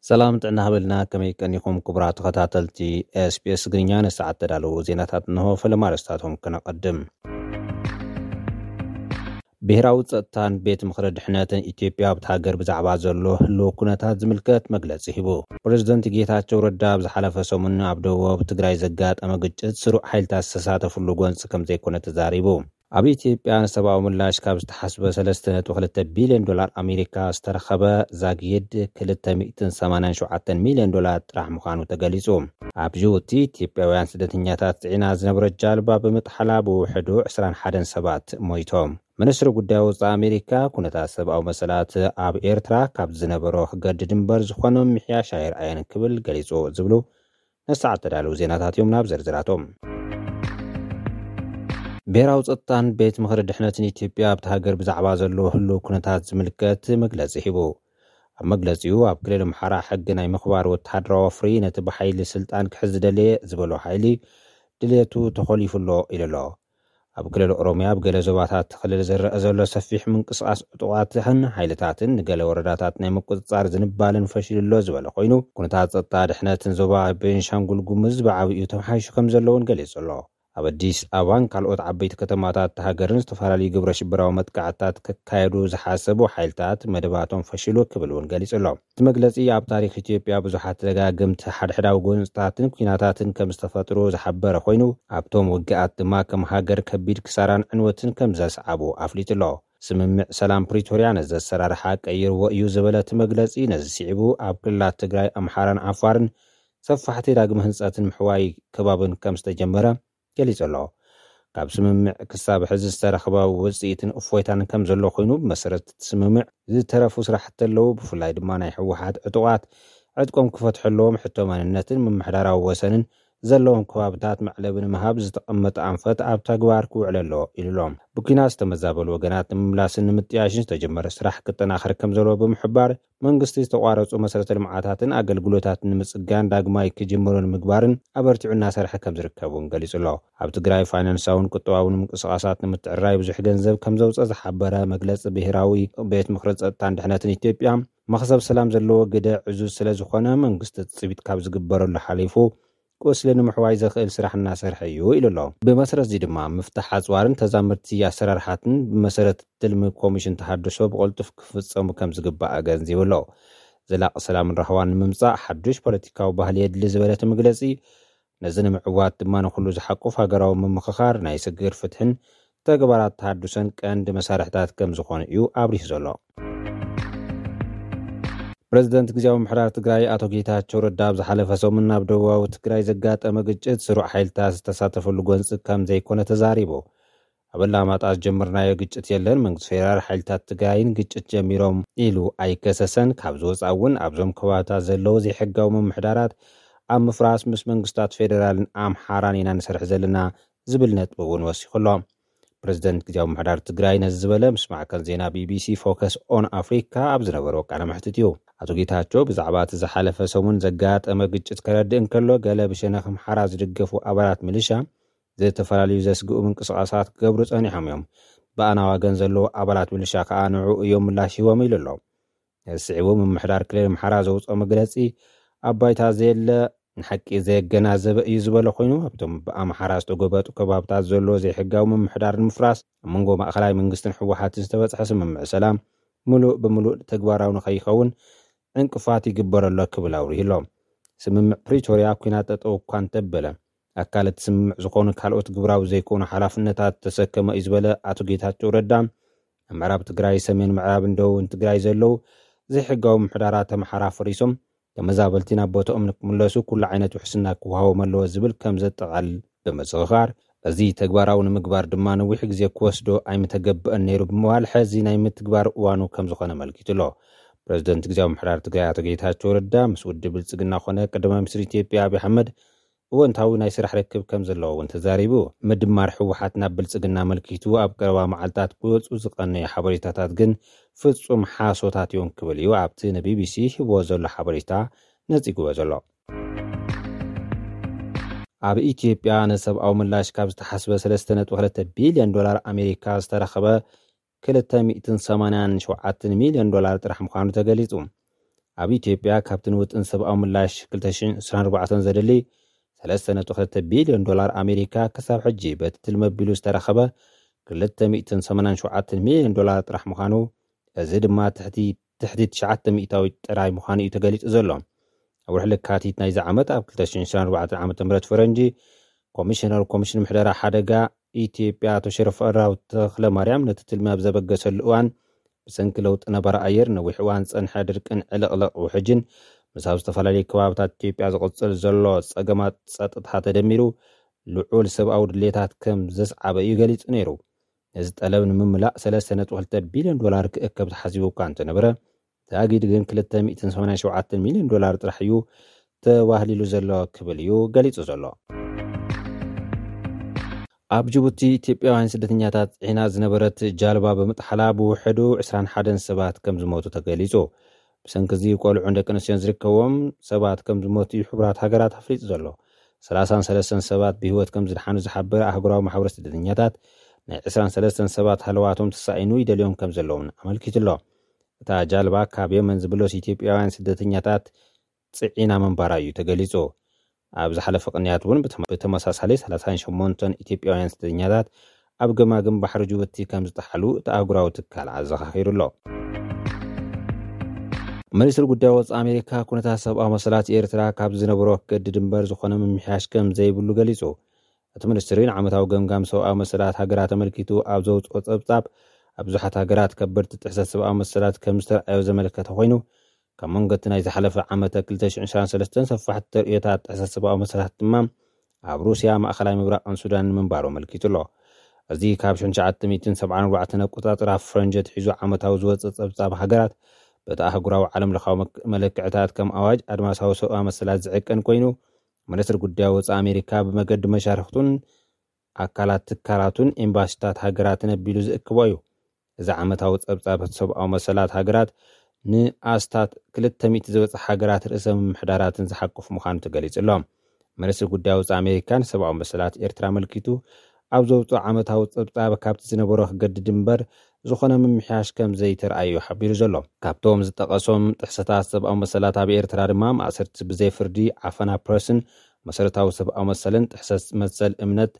ሰላም ጥዕና ሃበልና፣ ከመይ ቀኒኹም ክቡራት ተኸታተልቲ SBS ትግርኛ? ንሰዓት ተዳለዉ ዜናታት እንሆ። ፈለማ ኣርእስታቶም ከነቐድም። ብሄራዊ ጸጥታን ቤት ምኽሪ ድሕነትን ኢትዮጵያ ኣብቲ ሃገር ብዛዕባ ዘሎ ህልው ኩነታት ዝምልከት መግለጺ ሂቡ። ፕሬዝደንት ጌታቸው ረዳ ኣብ ዝሓለፈ ሰሙን ኣብ ደቡብ ትግራይ ዘጋጠመ ግጭት ስሩዕ ሓይልታት ዝተሳተፍሉ ጎንፂ ከም ዘይኮነ ተዛሪቡ። ኣብ ኢትዮጵያ ንሰብኣዊ ምላሽ ካብ ዝተሓስበ ሰለስተ ነጥቢ ክልተ ቢልዮን ዶላር ኣሜሪካ ዝተረኸበ ዛጊድ ክልተ ሚእትን ሰማንያን ሸውዓተን ሚልዮን ዶላር ጥራሕ ምዃኑ ተገሊጹ። ኣብ ጅቡቲ ኢትዮጵያውያን ስደተኛታት ጽዒና ዝነበረት ጃልባ ብምጥሓላ ብውሕዱ ዕስራን ሓደን ሰባት ሞይቶም። ሚኒስትሪ ጉዳይ ወጻኢ ኣሜሪካ ኩነታት ሰብኣዊ መሰላት ኣብ ኤርትራ ካብ ዝነበሮ ክገድድ እምበር ዝኾነ ምምሕያሽ ኣይርኣየን ክብል ገሊጹ ዝብሉ ነሰዓት ተዳለዉ ዜናታት እዮም። ናብ ዝርዝራቶም። ብሄራዊ ጸጥታን ቤት ምኽሪ ድሕነትን ኢትዮጵያ ኣብቲ ሃገር ብዛዕባ ዘሎ ህልው ኩነታት ዝምልከት መግለጺ ሂቡ። ኣብ መግለጺኡ ኣብ ክልል ኣምሓራ ሕጊ ናይ ምኽባር ወተሃደራዊ ወፍሪ ነቲ ብሓይሊ ስልጣን ክሕዝ ዝደለየ ዝበሎ ሓይሊ ድልየቱ ተኾሊፉ ኣሎ ኢሉ ኣሎ። ኣብ ክልል ኦሮሚያ ኣብ ገለ ዞባታት እቲ ክልል ዝረአ ዘሎ ሰፊሕ ምንቅስቓስ ዕጡቓትን ሓይልታትን ንገለ ወረዳታት ናይ ምቁጽጻር ዝንባለን ፈሺሉ ኣሎ ዝበለ ኮይኑ፣ ኩነታት ጸጥታ ድሕነትን ዞባ ቤንሻንጉል ጉሙዝ ብዓብዩ ተመሓይሹ ከም ዘሎ እውን ገሊጹ ኣሎ። ኣብ ኣዲስ ኣበባን ካልኦት ዓበይቲ ከተማታት ሃገርን ዝተፈላለዩ ግብረ ሽበራዊ መጥቃዕትታት ክካየዱ ዝሓሰቡ ሓይልታት መደባቶም ፈሺሉ ክብል እውን ገሊጹ ኣሎ። እቲ መግለጺ ኣብ ታሪኽ ኢትዮጵያ ብዙሓት ደጋግምቲ ሓድሕዳዊ ጎንፅታትን ኲናታትን ከም ዝተፈጥሩ ዝሓበረ ኮይኑ፣ ኣብቶም ውግኣት ድማ ከም ሃገር ከቢድ ክሳራን ዕንወትን ከም ዘስዓቡ ኣፍሊጡ ኣሎ። ስምምዕ ሰላም ፕሪቶርያ ነዚ ኣሰራርሓ ቀይርዎ እዩ ዝበለ እቲ መግለጺ፣ ነዚ ስዒቡ ኣብ ክልላት ትግራይ፣ ኣምሓራን ዓፋርን ሰፋሕቲ ዳግመ ህንፀትን ምሕዋይ ከባብን ከም ዝተጀመረ ገሊጹ ኣሎ። ካብ ስምምዕ ክሳብ ሕዚ ዝተረኽበ ውፅኢትን እፎይታን ከም ዘሎ ኮይኑ፣ ብመሰረት እቲ ስምምዕ ዝተረፉ ስራሕቲ ኣለዉ። ብፍላይ ድማ ናይ ህወሓት ዕጡቓት ዕጥቆም ክፈትሑ ኣለዎም። ሕቶ መንነትን ምምሕዳራዊ ወሰንን ዘለዎም ከባብታት መዕለቢ ንምሃብ ዝተቐመጠ ኣንፈት ኣብ ተግባር ክውዕል ኣለዎ ኢሉ ኣሎ። ብኲናት ዝተመዛበሉ ወገናት ንምምላስን ንምጥያሽን ዝተጀመረ ስራሕ ክጠናኸር ከም ዘለዎ ብምሕባር፣ መንግስቲ ዝተቋረፁ መሰረተ ልምዓታትን ኣገልግሎታትን ንምፅጋን ዳግማይ ክጅምሩ ንምግባርን ኣበርቲዑ እናሰርሐ ከም ዝርከብ እውን ገሊጹ ኣሎ። ኣብ ትግራይ ፋይናንሳውን ቁጠባውን ምንቅስቓሳት ንምትዕርራይ ብዙሕ ገንዘብ ከም ዘውፀ ዝሓበረ መግለፂ ብሄራዊ ቤት ምኽሪ ጸጥታን ድሕነትን ኢትዮጵያ፣ መኽሰብ ሰላም ዘለዎ ግደ ዕዙዝ ስለ ዝኾነ፣ መንግስቲ ትፅቢት ካብ ዝግበረሉ ሓሊፉ ቁስሊ ንምሕዋይ ዘኽእል ስራሕ እናሰርሐ እዩ ኢሉ ኣሎ። ብመሰረት እዚ ድማ ምፍታሕ ኣፅዋርን ተዛመድቲ ኣሰራርሓትን ብመሰረት ትልሚ ኮሚሽን ተሃድሶ ብቕልጡፍ ክፍጸሙ ከም ዝግባእ ኣገንዚቡ ኣሎ። ዘላቒ ሰላምን ራህዋን ንምምጻእ ሓዱሽ ፖለቲካዊ ባህሊ የድሊ ዝበለ እቲ መግለጺ፣ ነዚ ንምዕዋት ድማ ንኹሉ ዝሓቁፍ ሃገራዊ ምምኽኻር፣ ናይ ስግግር ፍትሕን ተግባራት ተሃድሶን ቀንዲ መሳርሕታት ከም ዝኾኑ እዩ ኣብሪሁ ዘሎ። ፕሬዝደንት ግዝያዊ ምምሕዳር ትግራይ ኣቶ ጌታቸው ረዳ ኣብ ዝሓለፈ ሰሙን ኣብ ደቡባዊ ትግራይ ዘጋጠመ ግጭት ስሩዕ ሓይልታት ዝተሳተፈሉ ጎንፂ ከም ዘይኮነ ተዛሪቡ። ኣብ ኣላማጣ ዝጀመርናዮ ግጭት የለን፣ መንግስቲ ፌደራል ሓይልታት ትግራይን ግጭት ጀሚሮም ኢሉ ኣይከሰሰን። ካብ ዝወፃ እውን ኣብዞም ከባብታት ዘለዉ ዘይሕጋዊ ምምሕዳራት ኣብ ምፍራስ ምስ መንግስታት ፌደራልን ኣምሓራን ኢና ንሰርሕ ዘለና ዝብል ነጥቢ እውን ወሲኹ ኣሎ። ፕሬዝደንት ግዝያዊ ምምሕዳር ትግራይ ነዚ ዝበለ ምስ ማዕከን ዜና ቢቢሲ ፎከስ ኦን ኣፍሪካ ኣብ ዝነበሮ ቃለ መሕትት እዩ። ኣቶ ጌታቸው ብዛዕባ እቲ ዝሓለፈ ሰሙን ዘጋጠመ ግጭት ከረድእ እንከሎ፣ ገለ ብሸነኽ ኣምሓራ ዝድገፉ ኣባላት ሚሊሻ ዝተፈላለዩ ዘስግኡ ምንቅስቓሳት ክገብሩ ጸኒሖም እዮም። ብኣና ዋገን ዘለዉ ኣባላት ሚሊሻ ከኣ ንዕኡ እዮም ምላሽ ሂቦም ኢሉ ኣሎ። ነዚ ስዒቡ ምምሕዳር ክልል ኣምሓራ ዘውፅኦ መግለፂ ኣብ ባይታ ዘየለ ንሓቂ ዘየገናዘበ እዩ ዝበለ ኮይኑ፣ ኣብቶም ብኣምሓራ ዝተጎበጡ ከባብታት ዘሎ ዘይሕጋዊ ምምሕዳር ንምፍራስ ኣብ መንጎ ማእኸላይ መንግስትን ህወሓትን ዝተበፅሐ ስምምዕ ሰላም ምሉእ ብምሉእ ተግባራዊ ንኸይኸውን ዕንቅፋት ይግበረሎ ክብል ኣውሪሁ ኣሎ። ስምምዕ ፕሪቶርያ ኲናት ጠጠው እኳ እንተበለ፣ ኣካል እቲ ስምምዕ ዝኾኑ ካልኦት ግብራዊ ዘይኮኑ ሓላፍነታት ተሰከመ እዩ ዝበለ ኣቶ ጌታቸው ረዳ፣ ኣብ ምዕራብ ትግራይ፣ ሰሜን ምዕራብን ደቡብን ትግራይ ዘለዉ ዘይሕጋዊ ምምሕዳራት ኣምሓራ ፈሪሶም ተመዛበልቲ ናብ ቦታኦም ንክምለሱ ኩሉ ዓይነት ውሕስና ክወሃቦም ኣለዎ ዝብል ከም ዘጠቓልል ብምዝኽኻር፣ እዚ ተግባራዊ ንምግባር ድማ ነዊሕ ግዜ ክወስዶ ኣይምተገብአን ነይሩ ብምባል፣ ሕዚ ናይ ምትግባር እዋኑ ከም ዝኾነ ኣመልኪቱ ኣሎ። ፕሬዝደንት ግዝያዊ ምምሕዳር ትግራይ ኣቶ ጌታቸው ረዳ ምስ ውድብ ብልጽግና ኮነ ቀዳማይ ሚኒስትር ኢትዮጵያ ኣብይ ኣሕመድ እወንታዊ ናይ ስራሕ ርክብ ከም ዘለዎ እውን ተዛሪቡ። ምድማር ህወሓት ናብ ብልጽግና ኣመልኪቱ ኣብ ቀረባ መዓልታት ክወፁ ዝቐነዩ ሓበሬታታት ግን ፍጹም ሓሶታት እዮም ክብል እዩ ኣብቲ ንቢቢሲ ሂብዎ ዘሎ ሓበሬታ ነጺግዎ ዘሎ። ኣብ ኢትዮጵያ ንሰብኣዊ ምላሽ ካብ ዝተሓስበ ሰለስተ ነጥቢ ክልተ ቢልዮን ዶላር ኣሜሪካ ዝተረኸበ ክልተ ሚእትን ሰማንያን ሸውዓተን ሚልዮን ዶላር ጥራሕ ምዃኑ ተገሊጹ። ኣብ ኢትዮጵያ ካብቲ ንውጥን ሰብኣዊ ምላሽ ክልተ ሽሕን ዕስራን ኣርባዕተን ዘደሊ ሰለስተ ነጥቢ ክልተ ቢልዮን ዶላር ኣሜሪካ ክሳብ ሕጂ በቲ ትልሚ ኣቢሉ ዝተረኸበ ክልተ ሚእትን ሰማንያን ሸውዓተን ሚልዮን ዶላር ጥራሕ ምዃኑ፣ እዚ ድማ ትሕቲ ትሕቲ ትሽዓተ ሚእታዊት ጥራይ ምዃኑ እዩ ተገሊጹ ዘሎ። ኣብ ወርሒ ለካቲት ናይዚ ዓመት ኣብ ክልተ ሽሕን ዕስራን ኣርባዕተን ዓመተ ምህረት ፈረንጂ ኮሚሽነር ኮሚሽን ምሕደራ ሓደጋ ኢትዮጵያ ኣቶ ሸረፈራው ተኽለ ማርያም ነቲ ትልሚ ኣብ ዘበገሰሉ እዋን ብሰንኪ ለውጢ ነባሪ ኣየር ነዊሕ እዋን ዝጸንሐ ድርቅን ዕልቕልቕ ውሕጅን ምስ ኣብ ዝተፈላለዩ ከባብታት ኢትዮጵያ ዝቕጽል ዘሎ ጸገማት ጸጥታ ተደሚሩ ልዑል ሰብኣዊ ድሌታት ከም ዘስዓበ እዩ ገሊጹ ነይሩ። ነዚ ጠለብ ንምምላእ ሰለስተ ነጥቢ ክልተ ቢልዮን ዶላር ክእከብ ተሓሲቡ እኳ እንተነበረ ተኣጊዱ ግን ክልተ ሚእትን ሰማንያን ሸውዓተን ሚልዮን ዶላር ጥራሕ እዩ ተዋህሊሉ ዘሎ ክብል እዩ ገሊጹ ዘሎ። ኣብ ጅቡቲ ኢትዮጵያውያን ስደተኛታት ዒና ዝነበረት ጃልባ ብምጥሓላ ብውሕዱ ዕስራን ሓደን ሰባት ከም ዝሞቱ ተገሊጹ። ብሰንኪ እዚ ቆልዑን ደቂ ኣንስትዮን ዝርከቦም ሰባት ከም ዝሞቱ እዩ ሕቡራት ሃገራት ኣፍሊጡ ዘሎ። ሰላሳን ሰለስተን ሰባት ብህይወት ከም ዝድሓኑ ዝሓበረ ኣህጉራዊ ማሕበር ስደተኛታት ናይ ዕስራን ሰለስተን ሰባት ሃለዋቶም ተሳኢኑ ይደልዮም ከም ዘለውን ኣመልኪቱ ኣሎ። እታ ጃልባ ካብ የመን ዝብለሱ ኢትዮጵያውያን ስደተኛታት ጽዒና ምንባራ እዩ ተገሊጹ። ኣብ ዝሓለፈ ቅንያት እውን ብተመ- ብተመሳሳሊ ሰላሳን ሸሞንተን ኢትዮጵያውያን ስደተኛታት ኣብ ገማግም ባሕሪ ጅቡቲ ከም ዝጠሓሉ እቲ ኣህጉራዊ ትካል ኣዘኻኺሩ ኣሎ። ሚኒስትሪ ጉዳይ ወፃኢ ኣሜሪካ ኩነታት ሰብኣዊ መሰላት ኤርትራ ካብ ዝነበሮ ክገድድ እምበር ዝኾነ ምምሕያሽ ከም ዘይብሉ ገሊጹ። እቲ ሚኒስትሪ ንዓመታዊ ገምጋም ሰብኣዊ መሰላት ሃገራት ኣመልኪቱ ኣብ ዘውፅኦ ጸብጻብ ኣብ ብዙሓት ሃገራት ከበድቲ ጥሕሰት ሰብኣዊ መሰላት ከም ዝተረኣዮ ዘመልከተ ኮይኑ ካብ መንጎ እቲ ናይ ዝሓለፈ ዓመተ ክልተ ሽሕን ዕስራን ሰለስተን ሰፋሕቲ ተርእዮታት ጥሕሰት ሰብኣዊ መሰላት ድማ ኣብ ሩስያ፣ ማእኸላይ ምብራቕን ሱዳንን ምንባሩ ኣመልኪቱ ኣሎ። እዚ ካብ ሽሕን ትሽዓተ ሚእትን ሰብዓን ኣርባዕተን ኣቆጻጽራ ፈረንጂ ኣትሒዙ ዓመታዊ ዝወጽእ ጸብጻብ ሃገራት በቲ ኣህጉራዊ ዓለም ለኻዊ መክ- መለክዕታት ከም ኣዋጅ ኣድማሳዊ ሰብኣዊ መሰላት ዝዕቀን ኮይኑ፣ ሚኒስትሪ ጉዳይ ወጻኢ ኣሜሪካ ብመገዲ መሻርክቱን ኣካላት ትካላቱን ኤምባሲታት ሃገራትን ኣቢሉ ዝእክቦ እዩ። እዚ ዓመታዊ ጸብጻብ ሰብኣዊ መሰላት ሃገራት ንኣስታት ክልተ ሚእቲ ዝበጽሕ ሃገራት ርእሰ ምምሕዳራትን ዝሓቁፍ ምዃኑ ተገሊጹ ኣሎ። ሚኒስትሪ ጉዳይ ወጻኢ ኣሜሪካ ንሰብኣዊ መሰላት ኤርትራ ኣመልኪቱ ኣብ ዘውጽኦ ዓመታዊ ጸብጻብ ካብቲ ዝነበሮ ክገድድ እምበር ዝኾነ ምምሕያሽ ከም ዘይተረኣዩ ሓቢሩ ዘሎ። ካብቶም ዝጠቐሶም ጥሕሰታት ሰብኣዊ መሰላት ኣብ ኤርትራ ድማ ማእሰርቲ ብዘይ ፍርዲ፣ ዓፈና ፕረስን መሰረታዊ ሰብኣዊ መሰልን ጥሕሰት መሰል እምነት፣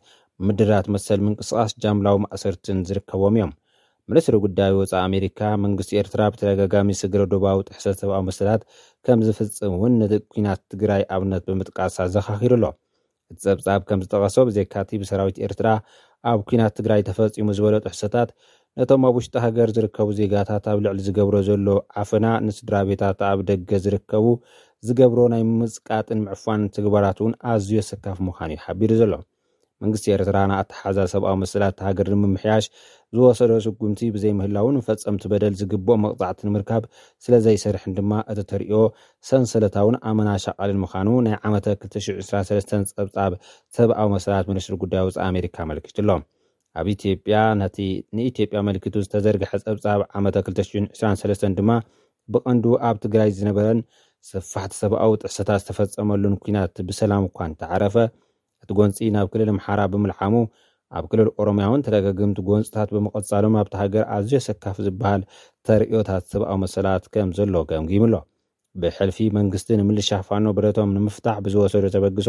ምድራት መሰል ምንቅስቓስ፣ ጃምላዊ ማእሰርትን ዝርከቦም እዮም። ሚኒስትሪ ጉዳይ ወጻኢ ኣሜሪካ መንግስቲ ኤርትራ ብተደጋጋሚ ስግረ ዶባዊ ጥሕሰት ሰብኣዊ መሰላት ከም ዝፍጽም እውን ነቲ ኲናት ትግራይ ኣብነት ብምጥቃስ ኣዘኻኺሩ ኣሎ። እቲ ጸብጻብ ከም ዝጠቐሶ ብዘይካቲ ብሰራዊት ኤርትራ ኣብ ኲናት ትግራይ ተፈጺሙ ዝበሎ ጥሕሰታት ነቶም ኣብ ውሽጢ ሃገር ዝርከቡ ዜጋታት ኣብ ልዕሊ ዝገብሮ ዘሎ ዓፈና ንስድራ ቤታት ኣብ ደገ ዝርከቡ ዝገብሮ ናይ ምጽቃጥን ምዕፋን ተግባራት እውን ኣዝዩ ኣሰካፊ ምዃኑ እዩ ሓቢሩ ዘሎ። መንግስቲ ኤርትራ ንኣተሓዛ ሰብኣዊ መሰላት ሃገር ንምምሕያሽ ዝወሰዶ ስጉምቲ ብዘይምህላውን ፈጸምቲ በደል ዝግብኦ መቕጻዕቲ ንምርካብ ስለ ዘይሰርሕን ድማ እቲ ተርእዮ ሰንሰለታውን ኣመና ሻቓልን ምዃኑ ናይ ዓመተ ክልተ ሽሕን ዕስራን ሰለስተን ጸብጻብ ሰብኣዊ መሰላት ሚኒስትሪ ጉዳይ ወጻኢ ኣሜሪካ ኣመልኪቱ ኣሎ። ኣብ ኢትዮጵያ ነቲ ንኢትዮጵያ ኣመልኪቱ ዝተዘርግሐ ጸብጻብ ዓመተ ክልተ ሽሕን ዕስራን ሰለስተን ድማ ብቐንዱ ኣብ ትግራይ ዝነበረን ሰፋሕቲ ሰብኣዊ ጥሕሰታት ዝተፈጸመሉን ኲናት ብሰላም እኳ እንተዓረፈ እቲ ጎንፂ ናብ ክልል ኣምሓራ ብምልዓሙ ኣብ ክልል ኦሮምያ እውን ተደጋገምቲ ጎንፅታት ብምቐጻሎም ኣብቲ ሃገር ኣዝዩ ኣሰካፊ ዝበሃል ተርእዮታት ሰብኣዊ መሰላት ከም ዘሎ ገምጊሙ ኣሎ። ብሕልፊ መንግስቲ ንምልሻ ፋኖ ብረቶም ንምፍታሕ ብዝወሰዶ ተበግሶ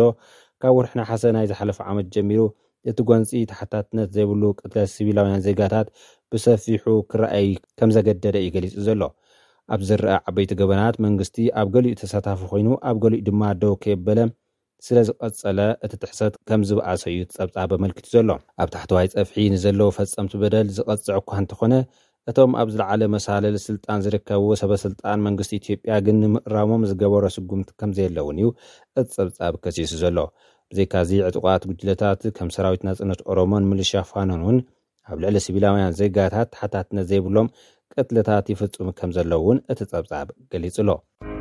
ካብ ወርሒ ነሓሰ ናይ ዝሓለፈ ዓመት ጀሚሩ እቲ ጎንፂ ተሓታትነት ዘይብሉ ቅትለት ሲቪላውያን ዜጋታት ብሰፊሑ ክረኣይ ከም ዘገደደ እዩ ገሊጹ ዘሎ። ኣብ ዝረኣ ዓበይቲ ገበናት መንግስቲ ኣብ ገሊኡ ተሳታፊ ኮይኑ ኣብ ገሊኡ ድማ ደው ከየበለ ስለ ዝቐጸለ እቲ ጥሕሰት ከም ዝበኣሰ እዩ ጸብጻብ ኣመልኪቱ ዘሎ። ኣብ ታሕተዋይ ጸፍሒ ንዘለዉ ፈጸምቲ በደል ዝቐጽዕ እኳ እንተኾነ እቶም ኣብ ዝለዓለ መሳለል ስልጣን ዝርከቡ ሰበ ስልጣን መንግስቲ ኢትዮጵያ ግን ንምእራሞም ዝገበሮ ስጉምቲ ከም ዘየለ እውን እዩ እቲ ጸብጻብ ከሲሱ ዘሎ። ብዘይካዚ ዕጡቓት ጉጅለታት ከም ሰራዊት ናጽነት ኦሮሞን ምልሻ ፋኖን እውን ኣብ ልዕሊ ሲቪላውያን ዜጋታት ተሓታትነት ዘይብሎም ቅትለታት ይፍጽሙ ከም ዘለዉ እውን እቲ ጸብጻብ ገሊጹ ኣሎ።